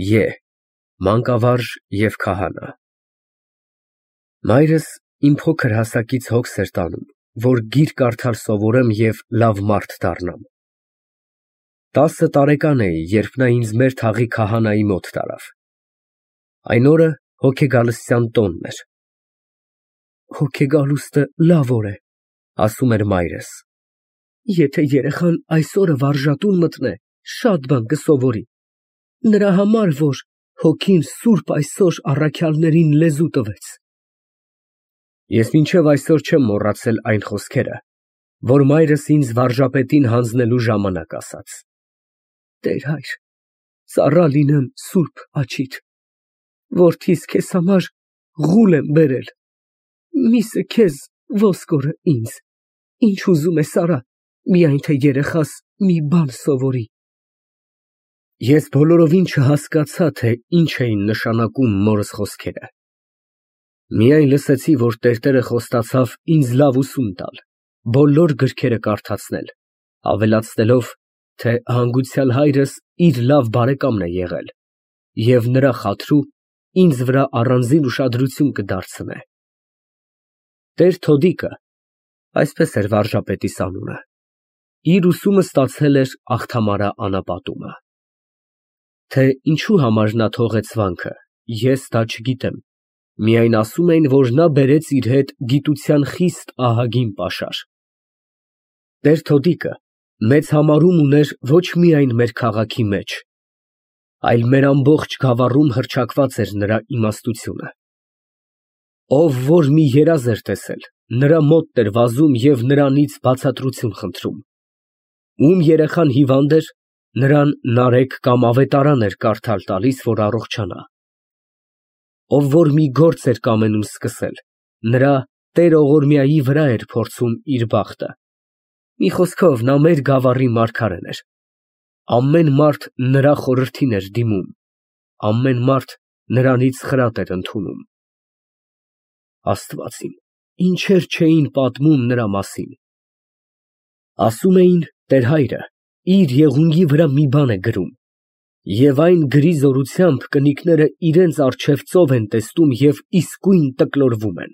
Ե Մանկավարժ և քահանա։ Մայրս իմ փոքր հասակից հոգս էր տանում, որ գիրք կարդալ սովորեմ և լավ մարդ դառնամ։ 10 տարեկան էի, երբ նա ինձ մեր թաղի քահանայի մոտ տարավ։ Այն օրը հոգեգալստյան տոնն էր։ Հոգեգալուստը լավ օր է, ասում էր մայրս, եթե երեխան այս օրը վարժատուն մտնե, շատ բան կսովորի, նրա համար, որ հոգին սուրբ այսօր առաքյալներին լեզու տվեց։ Ես մինչև այսօր չեմ մոռացել այն խոսքերը, որ մայրս ինձ վարժապետին հանձնելու ժամանակ ասաց. «Տեր հայր, ծառա լինեմ սուրբ աջիդ, որդիս քեզ համարղուլ եմ բերել, միսը քեզ, ոսկորը ինձ, ինչ ուզում ես արա, միայն թե երեխաս մի բան սովորի»։ Ես բոլորովին չհասկացա, թե ինչ էին նշանակում մորս խոսքերը։ Միայն լսեցի, որ տերտերը խոստացավ ինձ լավ ուսում տալ, բոլոր գրքերը կարդացնել, ավելացնելով, թե հանգուցյալ հայրս իր լավ բարեկամն է եղել և նրա խաթրու ինձ վրա առանձին ուշադրություն կդարձնե։ Տեր Թոդիկը (այսպես էր վարժապետիս անունը) իր ուսումը ստացել էր Աղթամարա անապատումը։ Թե ինչու համար նա թողեց վանքը, ես դա չգիտեմ, միայն ասում էին, որ նա բերեց իր հետ գիտության խիստ ահագին պաշար։ Տեր Թոդիկը մեծ համարում ուներ ոչ միայն մեր քաղաքի մեջ, այլ մեր ամբողջ գավառում հռչակված էր նրա իմաստությունը։ Ով որ մի երազ էր տեսել, նրա մոտն էր վազում և նրանից բացատրություն խնդրում։ Ում երեխան հիվանդ էր, նրան նարեկ կամ ավետարան էր կարդալ տալիս, որ առողջանա։ Ով որ մի գործ էր կամենում սկսել, նրա Տեր Օղորմիայի վրա էր փորձում իր բախտը։ Մի խոսքով, նա մեր գավառի մարգարեն էր։ Ամեն մարդ նրա խորհրդին էր դիմում, ամեն մարդ նրանից խրատ էր ընդունում։ Աստված իմ, ինչեր չէին պատմում նրա մասին։ Ասում էին, տեր հայրը իր եղունգի վրա մի բան է գրում, և այն գրի զորությամբ կնիկները իրենց առջև ծով են տեսնում և իսկույն տկլորվում են։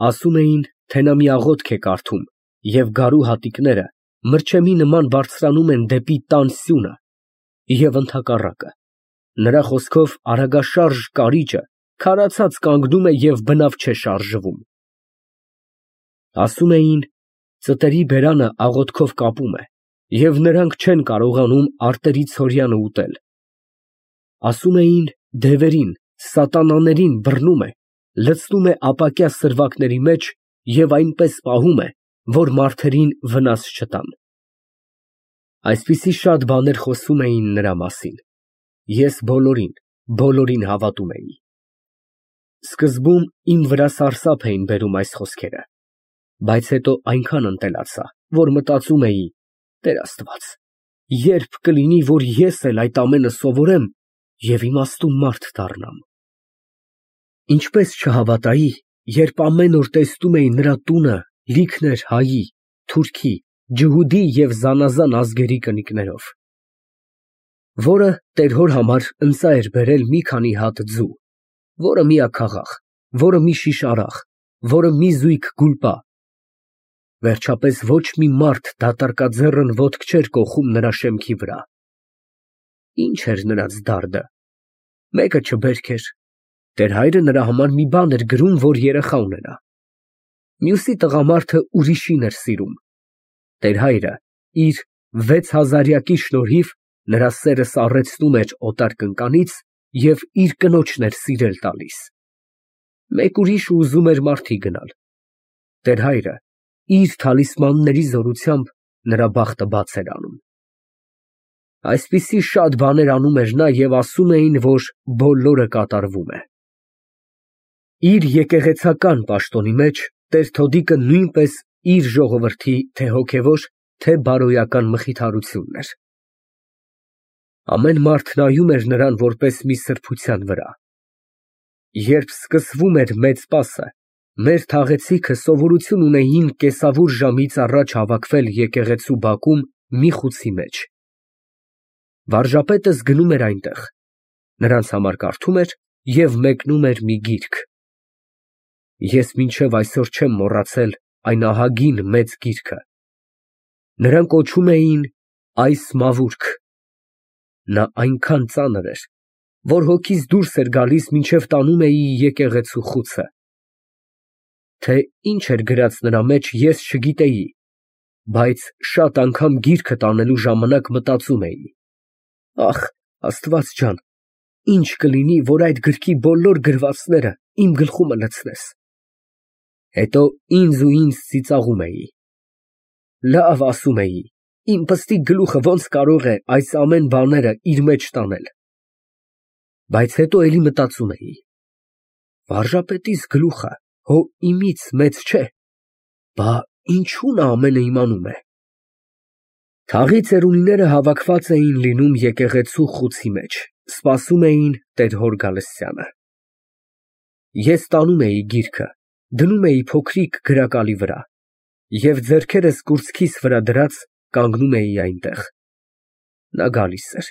Ասում էին, թե նա մի աղոթք է կարդում, և գարու հատիկները մրջեմի նման բարձրանում են դեպի տան սյունը, և ընդհակառակը, նրա խոսքով արագաշարժ կարիճը քարացած կանգնում է և բնավ չէ շարժվում։ Ասում էին, ծտերի բերանը աղոթքով կապում է, և նրանք չեն կարողանում արտերի ցորյանը ուտել։ Ասում էին, դևերին, սատանաներին բռնում է, լցնում է ապակյա սրվակների մեջ և այնպես պահում է, որ մարդերին վնաս չտան։ Այսպիսի շատ բաներ խոսում էին նրա մասին։ Ես բոլորին հավատում էի։ Սկզբում իմ վրա սարսափ էին բերում այս խոսքերը, բայց հետո այնքան ընտելացա, որ մտածում էի. «Տեր Աստված, ե՞րբ կլինի, որ ես էլ այդ ամենը սովորեմ և իմաստուն մարդ դառնամ»։ Ինչպես չհավատայի, երբ ամեն օր տեսնում էի նրա տունը լիքն էր հայի, թուրքի, ջհուդի և զանազան ազգերի կնիկներով, որը տեր հոր համար ընծա էր բերել մի քանի հատ ձու, որը միաքաղաք, որը մի շիշ արախ, որը մի զույգ գուլպա։ Վերջապես ոչ մի մարդ դատարկաձեռն ոտք չէր կոխում նրա շեմքի վրա։ Ինչ էր նրանց դարդը։ Մեկը չբերք էր, տեր հայրը նրա համար մի բան էր գրում, որ երեխա ունենա։ Մյուսի տղամարդը ուրիշին էր սիրում։ Տեր հայրը իր 6000-յակի շնորհիվ նրա սերը սառեցնում էր օտար կնկանից և իր կնոջն էր սիրել տալիս։ Մեկ ուրիշ ուզում էր մարդի գնալ։ Տեր հայրը իր թալիսմանների զորությամբ նրա բախտը բաց էր անում։ Այսպիսի շատ բաներ անում էր նա և ասում էին, որ բոլորը կատարվում է։ Իր եկեղեցական պաշտոնի մեջ տեր Թոդիկը նույնպես իր ժողովրդի թե հոգևոր, թե բարոյական մխիթարությունն էր։ Ամեն մարդ նայում էր նրան որպես մի սրբության վրա։ Երբ սկսվում էր մեծ պասը, մեր թաղեցիքը սովորություն ունեին կեսավուր ժամից առաջ հավաքվել եկեղեցու բակում մի խուցի մեջ։ Վարժապետը զգնում էր այնտեղ, նրանց համար կարդում էր և մեկնում էր մի գիրք։ Ես մինչև այսօր չեմ մոռացել այն ահագին մեծ գիրքը։ Նրան կոչում էին «Այս մավուրք»։ Նա այնքան ծանր էր, որ հոգիս դուրս էր գալիս, մինչև տանում էի եկեղեցու խուցը։ Թե ինչ էր գրած նրա մեջ, ես չգիտեի, բայց շատ անգամ գիրքը տանելու ժամանակ մտածում էի. «Ախ, Աստված ջան, ինչ կլինի, որ այդ գրքի բոլոր գրվածները իմ գլխումը լցնես»։ Հետո ինձ ծիծաղում էի։ Լավ, ասում էի, իմ պստիկ գլուխը ոնց կարող է այս ամեն բաները իր մեջ տանել։ Բայց հետո էլի մտածում էի. վարժապետիս գլուխը հո իմից մեծ չէ, բա ինչու նա ամենը իմանում է։ Թաղի ծերունիները հավաքված էին լինում եկեղեցու խուցի մեջ, սպասում էին տեր հոր գալստյանը։ Ես տանում էի գիրքը, դնում էի փոքրիկ գրակալի վրա և ձեռքերս կուրծքիս վրա դրած կանգնում էի այնտեղ։ Նա գալիս էր։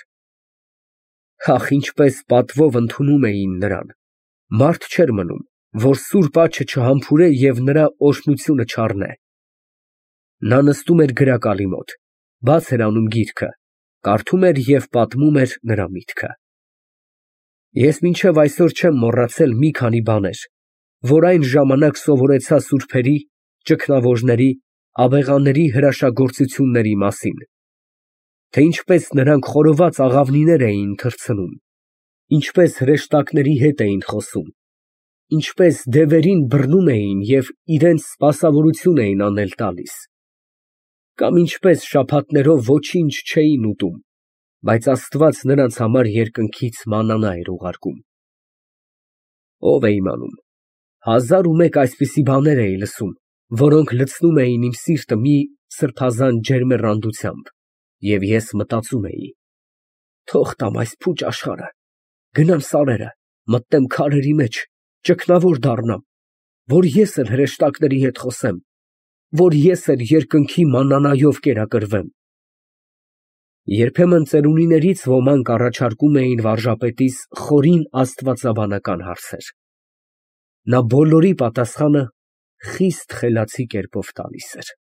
Ախ, ինչպես պատվով ընդունում էին նրան, մարդ չէր մնում, որ սուրբ աջը չհամբուրե և նրա օրհնությունը չառնե։ Նա նստում էր գրակալի մոտ, բաց էր անում գիրքը, կարդում էր և պատմում էր նրա միտքը։ Ես մինչև այսօր չեմ մոռացել մի քանի բաներ, որ այն ժամանակ սովորեցա սուրբերի, ճգնավորների, աբեղաների հրաշագործությունների մասին, թե ինչպես նրանք խորոված աղավնիներ էին թռցնում, ինչպես հրեշտակների հետ էին խոսում, ինչպես դևերին բռնում էին և իրենց սպասավորություն էին անել տալիս, կամ ինչպես շաբաթներով ոչինչ չէին ուտում, բայց Աստված նրանց համար երկնքից մաննա էր ուղարկում։ Ով է իմանում, 1001 այսպիսի բաներ էի լսում, որոնք լցնում էին իմ սիրտը մի սրբազան ջերմեռանդությամբ, և ես մտածում էի. թող տամ այս փուճ աշխարհը, գնամ սարերը, մտնեմ քարերի մեջ, ճգնավոր դառնամ, որ ես էլ հրեշտակների հետ խոսեմ, որ ես էլ երկնքի մաննայով կերակրվեմ։ Երբեմն ծերունիներից ոմանք առաջարկում էին վարժապետիս խորին աստվածաբանական հարցեր։ Նա բոլորի պատասխանը խիստ խելացի կերպով տալիս էր։